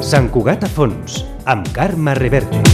Sant Cugat a fons, amb Carme Reverte.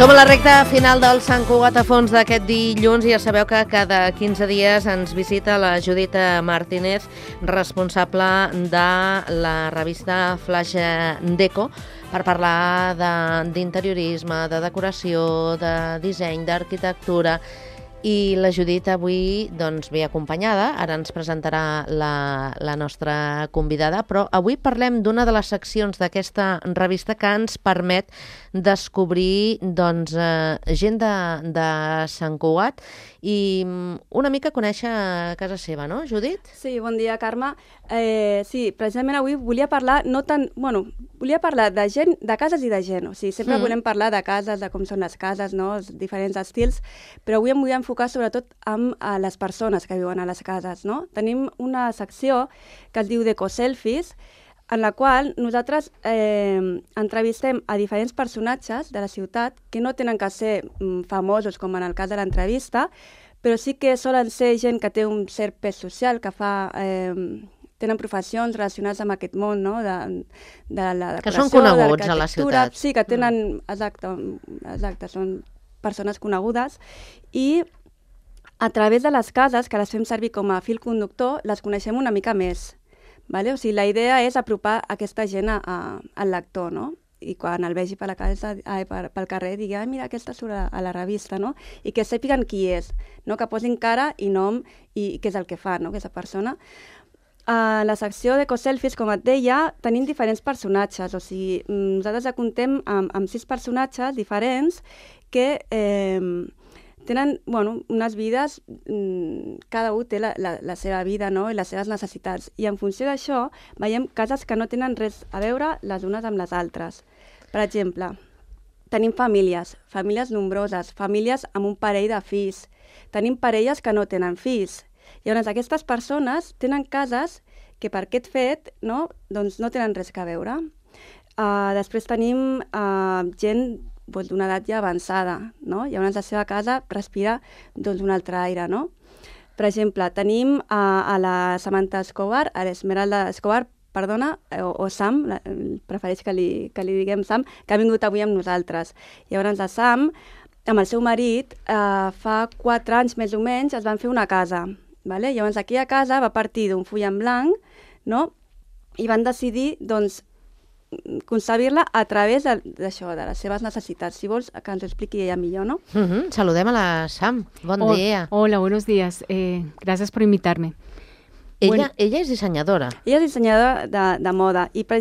Som a la recta final del Sant Cugat a fons d'aquest dilluns i ja sabeu que cada 15 dies ens visita la Judit Martínez, responsable de la revista Flash Deco, per parlar d'interiorisme, de decoració, de disseny, d'arquitectura. I la Judit avui ve acompanyada, ara ens presentarà la nostra convidada, però avui parlem d'una de les seccions d'aquesta revista que ens permet descobrir gent de Sant Cugat i una mica conèixer casa seva, no, Judit? Sí, bon dia, Carme. Sí, precisament avui volia parlar de gent, de cases i de gent. O sigui, sempre volem parlar de cases, de com són les cases, no? Els diferents estils, però avui em vull enfocar sobretot amb les persones que viuen a les cases, no? Tenim una secció que es diu Deco-Selfies, en la qual nosaltres entrevistem a diferents personatges de la ciutat que no tenen que ser famosos, com en el cas de l'entrevista, però sí que solen ser gent que té un cert pes social, que tenen professions relacionades amb aquest món, no? De la decoració, que són coneguts a la ciutat. Sí, que tenen... Exacte, són persones conegudes i a través de les cases, que les fem servir com a fil conductor, les coneixem una mica més. Vale? O sigui, la idea és apropar aquesta gent al lector, no? I quan el vegi pel carrer digui, mira, aquesta surt a la revista, no? I que sàpiguen qui és, no? Que posin cara i nom i què és el que fa, no? Aquesta persona. A la secció d'Eco-Selfies, com et deia, tenim diferents personatges, o sigui, nosaltres ja comptem amb 6 personatges diferents que tenen unes vides, cada un té la seva vida, no? I les seves necessitats. I en funció d'això veiem cases que no tenen res a veure les unes amb les altres. Per exemple, tenim famílies nombroses, famílies amb un parell de fills. Tenim parelles que no tenen fills. Llavors, aquestes persones tenen cases que per aquest fet no tenen res a veure. Després tenim gent d'una edat ja avançada, no? Llavors la seva casa respira un altre aire, no? Per exemple, tenim a la Samantha Escobar, a l'Esmeralda Escobar, perdona, o Sam, prefereix que li diguem Sam, que ha vingut avui amb nosaltres. Llavors la Sam, amb el seu marit, fa 4 anys més o menys, es van fer una casa. Vale? Llavors aquella casa va partir d'un full en blanc, no? I van decidir, concebir-la a través d'això, de les seves necessitats. Si vols, que ens ho expliqui ella millor, ¿no? Saludem a la Sam. Bon dia. Hola, buenos días. Gracias por invitarme. Ella és dissenyadora. Ella és dissenyadora de moda i per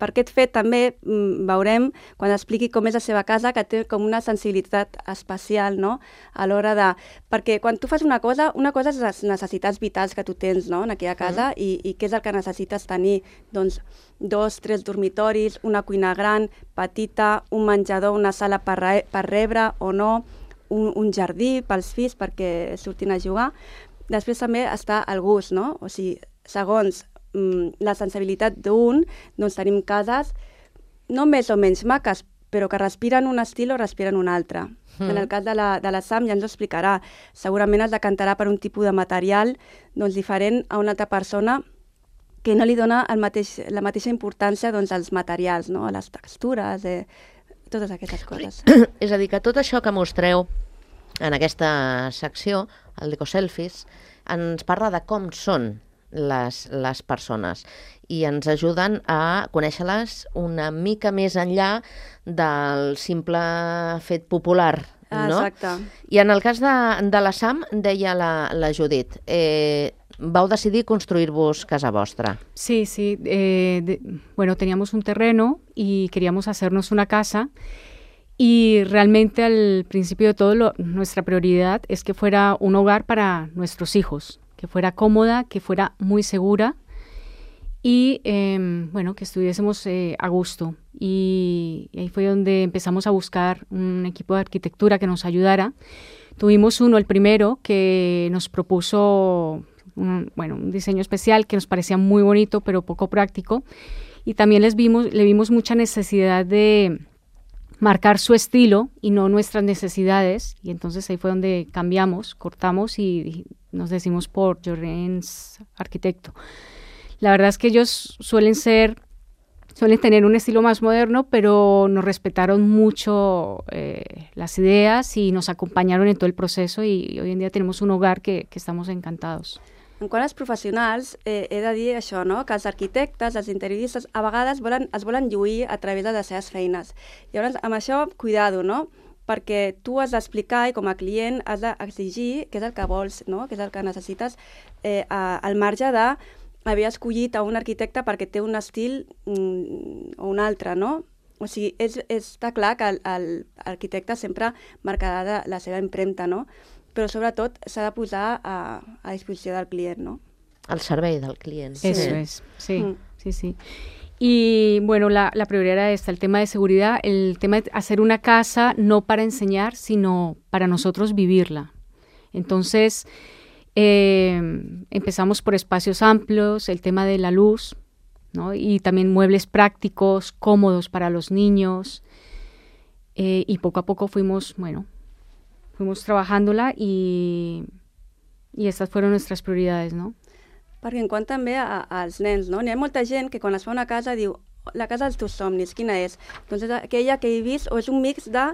aquest fet també veurem, quan expliqui com és la seva casa, que té com una sensibilitat especial, no? A l'hora de... Perquè quan tu fas una cosa és les necessitats vitals que tu tens, no? En aquella casa i què és el que necessites tenir? Doncs 2, 3 dormitoris, una cuina gran, petita, un menjador, una sala per rebre o no, un jardí pels fills perquè surtin a jugar. Després també està el gust, no? O sigui, segons la sensibilitat d'un, doncs tenim cases no més o menys maques, però que respiren un estil o respiren un altre. En el cas de la Sam ja ens ho explicarà. Segurament es decantarà per un tipus de material diferent a una altra persona que no li dona la mateixa importància als materials, no? A les textures, totes aquestes coses. És a dir, que tot això que mostreu en aquesta secció, el Deco-Selfies, ens parla de com són les persones i ens ajuden a conèixer-les una mica més enllà del simple fet popular, no? Exacte. I en el cas de la Sam, deia la Judit, vau decidir construir-vos casa vostra. Sí, sí. Bueno, teníamos un terreno y queríamos hacernos una casa. Y realmente al principio de todo nuestra prioridad es que fuera un hogar para nuestros hijos, que fuera cómoda, que fuera muy segura y bueno, que estuviésemos a gusto. Y ahí fue donde empezamos a buscar un equipo de arquitectura que nos ayudara. Tuvimos el primero, que nos propuso un diseño especial que nos parecía muy bonito pero poco práctico. Y también le vimos mucha necesidad de marcar su estilo y no nuestras necesidades, y entonces ahí fue donde cortamos y nos decidimos por Llorens Arquitecto. La verdad es que ellos suelen tener un estilo más moderno, pero nos respetaron mucho las ideas y nos acompañaron en todo el proceso, y hoy en día tenemos un hogar que estamos encantados. En quant als professionals, he de dir això, no? Que els arquitectes, els interioristes, a vegades es volen lluir a través de les seves feines. Llavors, amb això, cuidado, no? Perquè tu has d'explicar i com a client has d'exigir què és el que vols, no? Què és el que necessites, al marge d'haver escollit a un arquitecte perquè té un estil o un altre, no? O sigui, està clar que l'arquitecte sempre marcarà la seva empremta, no? Però sobretot s'ha de posar a disposició del client, ¿no? Al servei del client. Eso es, sí, sí. Y bueno, la prioridad era esta, el tema de seguridad, el tema de hacer una casa no para enseñar, sino para nosotros vivirla. Entonces, empezamos por espacios amplios, el tema de la luz, ¿no? Y también muebles prácticos, cómodos para los niños, y poco a poco fuimos trabajándola y estas fueron nuestras prioridades, ¿no? Perquè en quant també als nens, no? N'hi ha molta gent que quan es fa una casa diu la casa dels teus somnis, quina és? Doncs és aquella que he vist, o és un mix de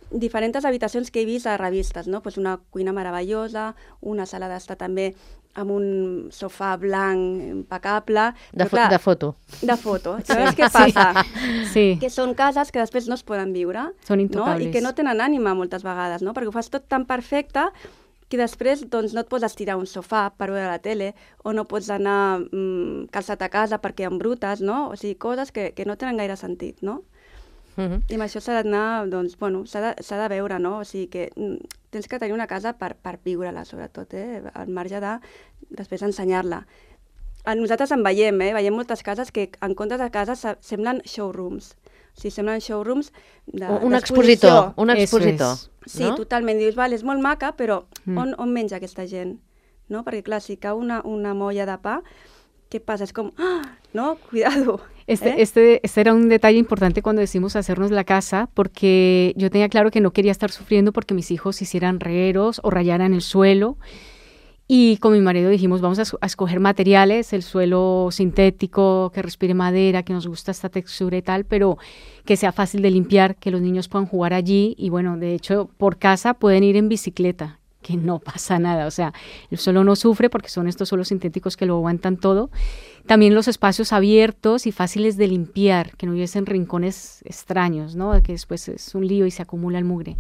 diferents habitacions que he vist a revistes, no? Pues una cuina meravellosa, una sala d'estar també amb un sofà blanc impecable. De foto. De foto. Llavors, què passa? Sí. Que són cases que després no es poden viure. Són intocables. No? I que no tenen ànima moltes vegades, no? Perquè ho fas tot tan perfecte que després doncs, no et pots estirar un sofà per veure la tele, o no pots anar calçat a casa perquè embrutes, no? O sigui, coses que no tenen gaire sentit, no? I amb això s'ha d'anar, doncs, bueno, s'ha de veure, no? O sigui que tens que tenir una casa per viure-la, sobretot, al marge de després ensenyar-la. Nosaltres en veiem moltes cases que en comptes de cases semblen showrooms. O sigui, semblen showrooms un expositor. Sí, no? totalment. Dius, val, és molt maca, però on menja aquesta gent? No? Perquè, clar, si cau una molla de pa, ¿qué pasa? Es como, ¡ah! ¿No? Cuidado. Este era un detalle importante cuando decidimos hacernos la casa, porque yo tenía claro que no quería estar sufriendo porque mis hijos hicieran regueros o rayaran el suelo. Y con mi marido dijimos, vamos a escoger materiales, el suelo sintético, que respire madera, que nos gusta esta textura y tal, pero que sea fácil de limpiar, que los niños puedan jugar allí. Y bueno, de hecho, por casa pueden ir en bicicleta, que no pasa nada, o sea, el suelo no sufre porque son estos suelos sintéticos que lo aguantan todo. También los espacios abiertos y fáciles de limpiar, que no hubiesen rincones extraños, ¿no? Que después es un lío y se acumula el mugre.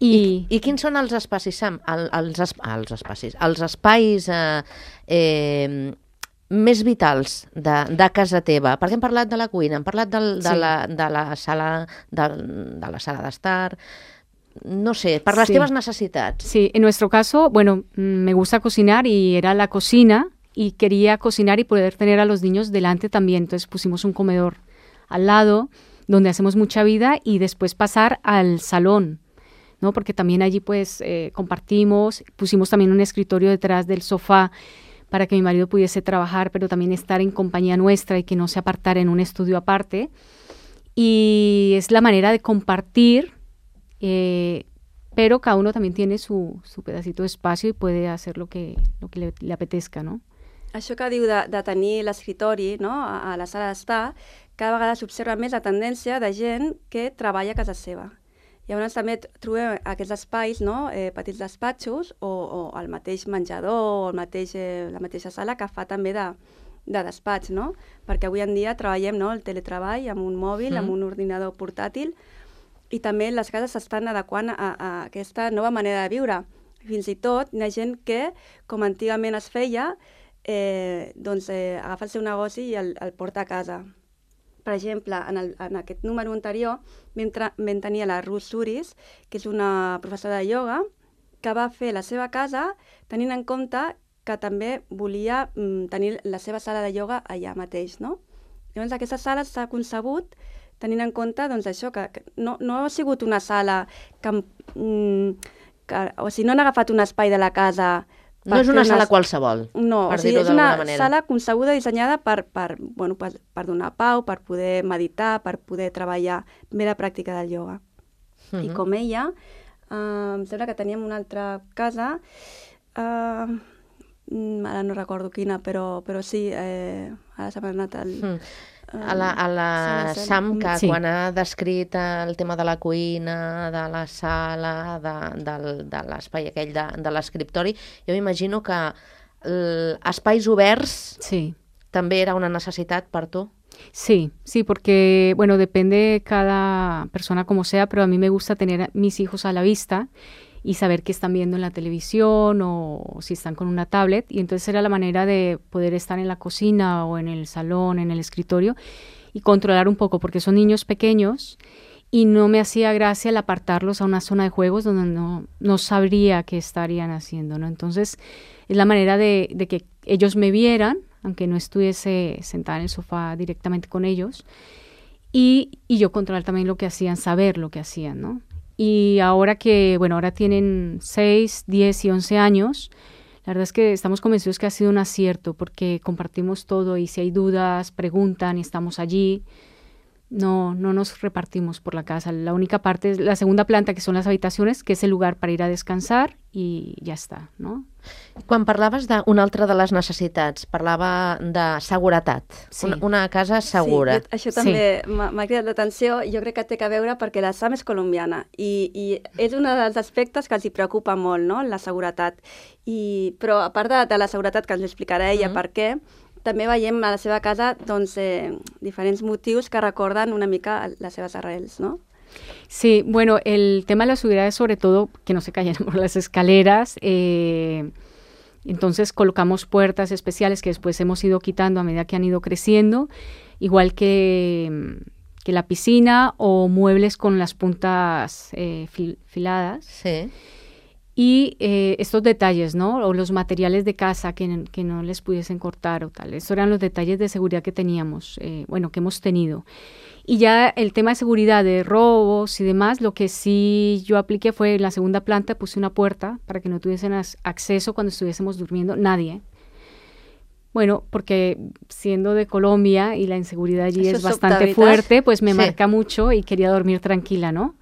I quins són els espais, Sam? Els espais més vitals de casa teva? Perquè hem parlat de la cuina, hem parlat de la sala d'estar. No sé, per les teves necessitats. Sí, en nuestro caso, bueno, me gusta cocinar y era la cocina y quería cocinar y poder tener a los niños delante también. Entonces pusimos un comedor al lado donde hacemos mucha vida y después pasar al salón, ¿no? Porque también allí pues compartimos, pusimos también un escritorio detrás del sofá para que mi marido pudiese trabajar, pero también estar en compañía nuestra y que no se apartara en un estudio aparte. Y es la manera de compartir, pero cada uno también tiene su pedacito de espacio y puede hacer lo que le apetezca, ¿no? Això que diu de tenir l'escritori, no, a la sala d'estar, cada vegada s'observa més la tendència de gent que treballa a casa seva. Llavors també trobem aquests espais, no, petits despatxos o el mateix menjador o la mateixa sala que fa també de despatx, no? Perquè avui en dia treballem, no, el teletreball amb un mòbil, amb un ordinador portàtil, i també les cases s'estan adequant a aquesta nova manera de viure. Fins i tot hi ha gent que, com antigament es feia, agafa el seu negoci i el porta a casa. Per exemple, en aquest número anterior vam tenir la Ruth Suris, que és una professora de ioga, que va fer la seva casa tenint en compte que també volia tenir la seva sala de ioga allà mateix, no? Llavors, aquesta sala s'ha concebut tenint en compte això, que no ha sigut una sala o sigui, no han agafat un espai de la casa. No és una sala qualsevol, no, per dir-ho d'alguna manera. És una sala concebuda, dissenyada per donar pau, per poder meditar, per poder treballar bé la pràctica del ioga. I com ella, em sembla que teníem una altra casa, ara no recordo quina, però sí, ara se m'ha anat el... A la Sam, que quan ha descrit el tema de la cuina, de la sala, de l'espai aquell de l'escriptori, jo m'imagino que espais oberts també era una necessitat per tu. Sí, porque, bueno, depende cada persona como sea, pero a mí me gusta tener a mis hijos a la vista y saber qué están viendo en la televisión o si están con una tablet, y entonces era la manera de poder estar en la cocina o en el salón, en el escritorio, y controlar un poco, porque son niños pequeños y no me hacía gracia el apartarlos a una zona de juegos donde no sabría qué estarían haciendo, ¿no? Entonces es la manera de que ellos me vieran, aunque no estuviese sentada en el sofá directamente con ellos, y yo controlar también lo que hacían, saber lo que hacían, ¿no? Y ahora ahora tienen 6, 10 y 11 años, la verdad es que estamos convencidos que ha sido un acierto, porque compartimos todo y si hay dudas, preguntan y estamos allí. No nos repartimos por la casa. La única parte es la segunda planta, que son las habitaciones, que és el lugar per ir a descansar i ja està, no? Quan parlaves d'una altra de les necessitats, parlava de seguretat, una casa segura. Sí, això també m'ha cridat l'atenció. Jo crec que té a veure perquè la Sam és colombiana i és un dels aspectes que els hi preocupa molt, no?, la seguretat. Però a part de la seguretat, que ens explicarà ella per què, també veiem a la seva casa diferents motius que recorden una mica les seves arrels, ¿no? Sí, bueno, el tema de la seguridad es sobre todo que no se cayeran por las escaleras. Entonces colocamos puertas especiales que después hemos ido quitando a medida que han ido creciendo, igual que la piscina, o muebles con las puntas filadas. Sí. Y estos detalles, ¿no? O los materiales de casa que no les pudiesen cortar o tal. Estos eran los detalles de seguridad que teníamos, que hemos tenido. Y ya el tema de seguridad, de robos y demás, lo que sí yo apliqué fue en la segunda planta, puse una puerta para que no tuviesen acceso cuando estuviésemos durmiendo, nadie. Bueno, porque siendo de Colombia y la inseguridad allí es bastante fuerte, pues me marca mucho y quería dormir tranquila, ¿no?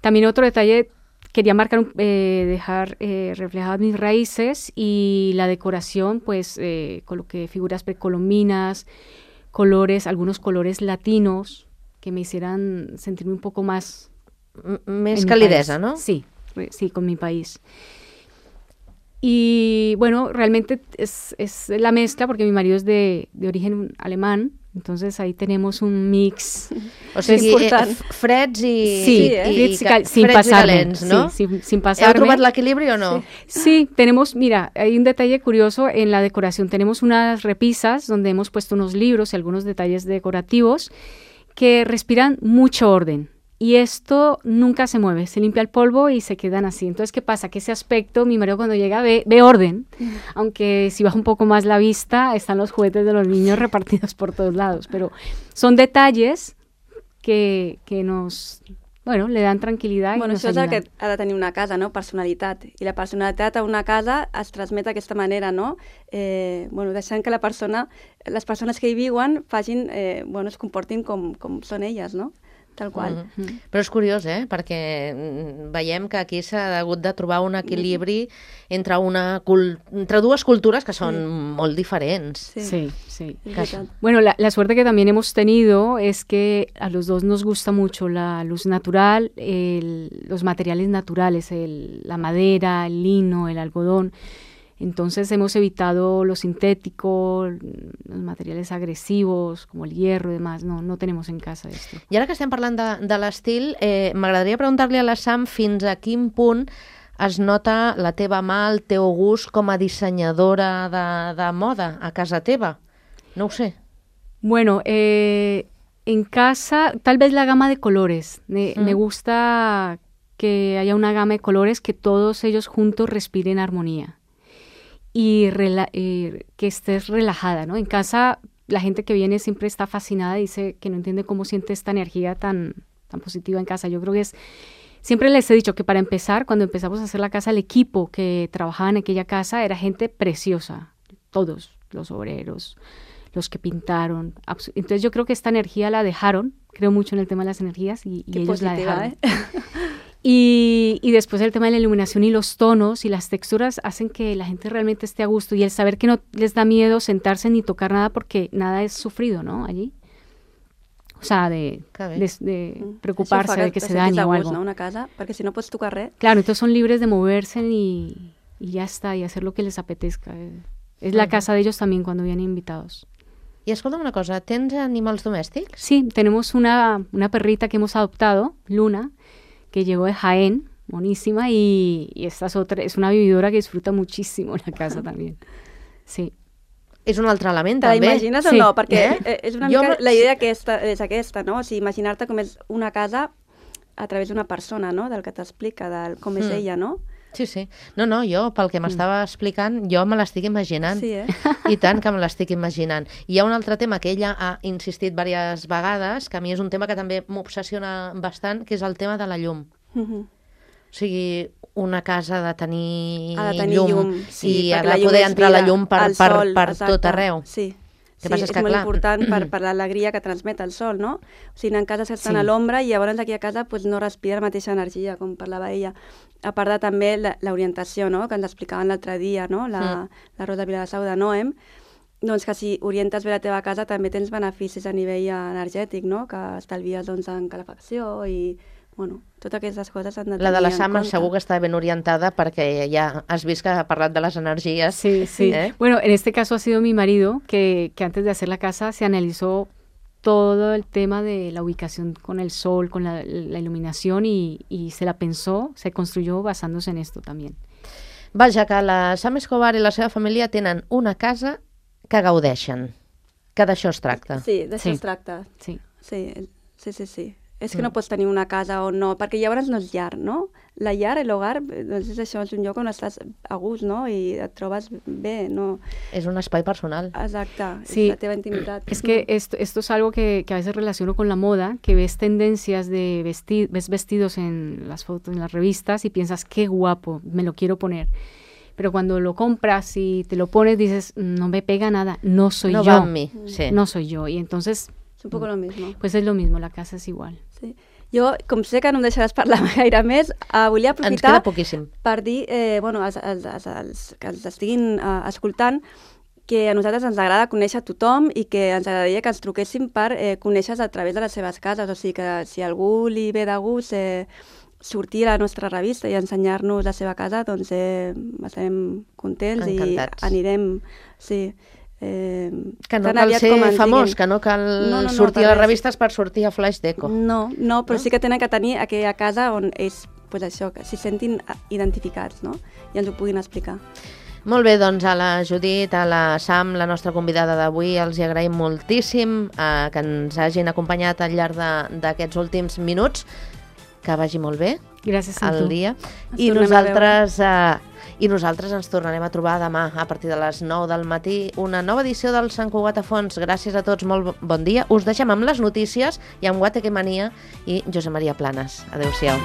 También otro detalle, quería marcar, dejar reflejadas mis raíces, y la decoración, pues coloqué figuras precolombinas, colores, algunos colores latinos que me hicieran sentirme un poco más... Més calidesa, ¿no? Sí, con mi país. Y bueno, realmente es la mezcla, porque mi marido es de origen alemán, entonces ahí tenemos un mix. O sigui, freds i sin pasarme, calents, ¿no? Sí, sin pasarme. ¿Heu trobat l'equilibri o no? Sí, tenemos, mira, hay un detalle curioso en la decoración. Tenemos unas repisas donde hemos puesto unos libros y algunos detalles decorativos que respiran mucho orden. Y esto nunca se mueve, se limpia el polvo y se quedan así. Entonces, ¿qué pasa? Que ese aspecto, mi marido cuando llega ve orden, aunque si baja un poco más la vista, están los juguetes de los niños repartidos por todos lados. Pero son detalles que nos, le dan tranquil·litat i nos això ayudan. És el que ha de tenir una casa, no? Personalitat. I la personalitat a una casa es transmet d'aquesta manera, no? Deixant que les persones que hi viuen es comportin com són elles, no? Tal qual. Però és curiós, perquè veiem que aquí s'ha hagut de trobar un equilibri entre dues cultures que són molt diferents. Sí. Bueno, la suerte que también hemos tenido es que a los dos nos gusta mucho la luz natural, los materiales naturales, la madera, el lino, el algodón. Entonces hemos evitado lo sintético, los materiales agresivos, como el hierro y demás. No tenemos en casa esto. I ara que estem parlant de l'estil, m'agradaria preguntar-li a la Sam fins a quin punt es nota la teva mà, el teu gust com a dissenyadora de moda a casa teva? No ho sé. Bueno, en casa, tal vez la gama de colores. Me gusta que haya una gama de colores, que todos ellos juntos respiren armonía y que estés relajada, ¿no? En casa la gente que viene siempre está fascinada, dice que no entiende cómo siente esta energía tan positiva en casa. Yo creo que siempre les he dicho que para empezar, cuando empezamos a hacer la casa, el equipo que trabajaba en aquella casa era gente preciosa, todos, los obreros, los que pintaron. Entonces yo creo que esta energía la dejaron, creo mucho en el tema de las energías y ellos la dejaron. Y después el tema de la iluminación y los tonos y las texturas hacen que la gente realmente esté a gusto, y el saber que no les da miedo sentarse ni tocar nada porque nada es sufrido, ¿no? Allí. O sea, de preocuparse de que se dañe o algo. No? Una casa, perquè si no pots tocar res. Claro, entonces son libres de moverse y ya está, y hacer lo que les apetezca. Es la casa de ellos también cuando vienen invitados. I escolta'm una cosa, tens animals domèstics? Sí, tenemos una perrita que hemos adoptado, Luna, que llegó de Jaén, monísima, y esta es una vividora que disfruta muchísimo en la casa también. Sí. És un altre element, Te també. l'imagines o no? Perquè és una mica la idea és aquesta, no? O sigui, imaginar-te com és una casa a través d'una persona, no? Del que t'explica, del com és ella, no? Sí, sí. No, jo, pel que m'estava explicant, jo me l'estic imaginant. Sí, I tant que me l'estic imaginant. I hi ha un altre tema que ella ha insistit diverses vegades, que a mi és un tema que també m'obsessiona bastant, que és el tema de la llum. O sigui, una casa ha de tenir llum sí, i ha de poder entrar la llum per tot arreu. Sí. Que passa és que, molt clar, important per l'alegria que transmet el sol, no? O sigui, anar en casa estan a l'ombra i llavors aquí a casa pues, no respira la mateixa energia, com parlava ella. A part de també l'orientació, no?, que ens explicaven l'altre dia, no?, la Rosa Viladasau de Noem, doncs que si orientes bé la teva casa també tens beneficis a nivell energètic, no?, que estalvies doncs, en calefacció i, bueno, totes aquestes coses han de tenir la de la en Sam compte. segur que està ben orientada perquè ja has vist que ha parlat de les energies. Sí, sí. Bueno, en este caso ha sido mi marido que antes de hacer la casa se analizó todo el tema de la ubicación con el sol, con la iluminación y se la pensó, se construyó basándose en esto también. Vaja, que la Sam Escobar i la seva família tenen una casa que gaudeixen, que d'això es tracta. Sí, d'això es tracta. Sí. Sí. És que no pots tenir una casa o no, perquè llavors no és llar, no? La llar, l'hogar, doncs és això, és un lloc on estàs a gust, no? I et trobes bé, ¿no? És un espai personal. Exacte, sí. És la teva intimitat. Es que esto es algo que a veces relaciono con la moda, que ves tendencias de ves vestidos en las fotos, en las revistas y piensas, qué guapo, me lo quiero poner. Pero cuando lo compras y te lo pones, dices, no me pega nada, no soy yo. No va amb mi, sí. No soy yo, y entonces... És un poco lo mismo. Pues es lo mismo, la casa es igual. Sí. Jo, com sé que no em deixaràs parlar gaire més, volia aprofitar... Ens queda poquíssim. Per dir, bueno, que els estiguin escoltant, que a nosaltres ens agrada conèixer tothom i que ens agradaria que ens truquéssim per conèixer-los a través de les seves cases. O sigui que si a algú li ve de gust sortir a la nostra revista i ensenyar-nos la seva casa, doncs estarem contents. Encantats. I anirem... Sí. Que no cal ser famós, que no cal sortir a les revistes per sortir a Flash Deco. No, però sí que tenen que tenir aquella casa on ells, pues això, que s'hi sentin identificats, no? I ens ho puguin explicar. Molt bé, doncs a la Judit, a la Sam, la nostra convidada d'avui, els hi agraïm moltíssim que ens hagin acompanyat al llarg d'aquests últims minuts. Que vagi molt bé. Gràcies a el tu. dia. I nosaltres ens tornarem a trobar demà a partir de les 9 del matí, una nova edició del Sant Cugat a Fons. Gràcies a tots, molt bon dia. Us deixem amb les notícies i amb Guateque Mania i Josep Maria Planes. Adéu-siau.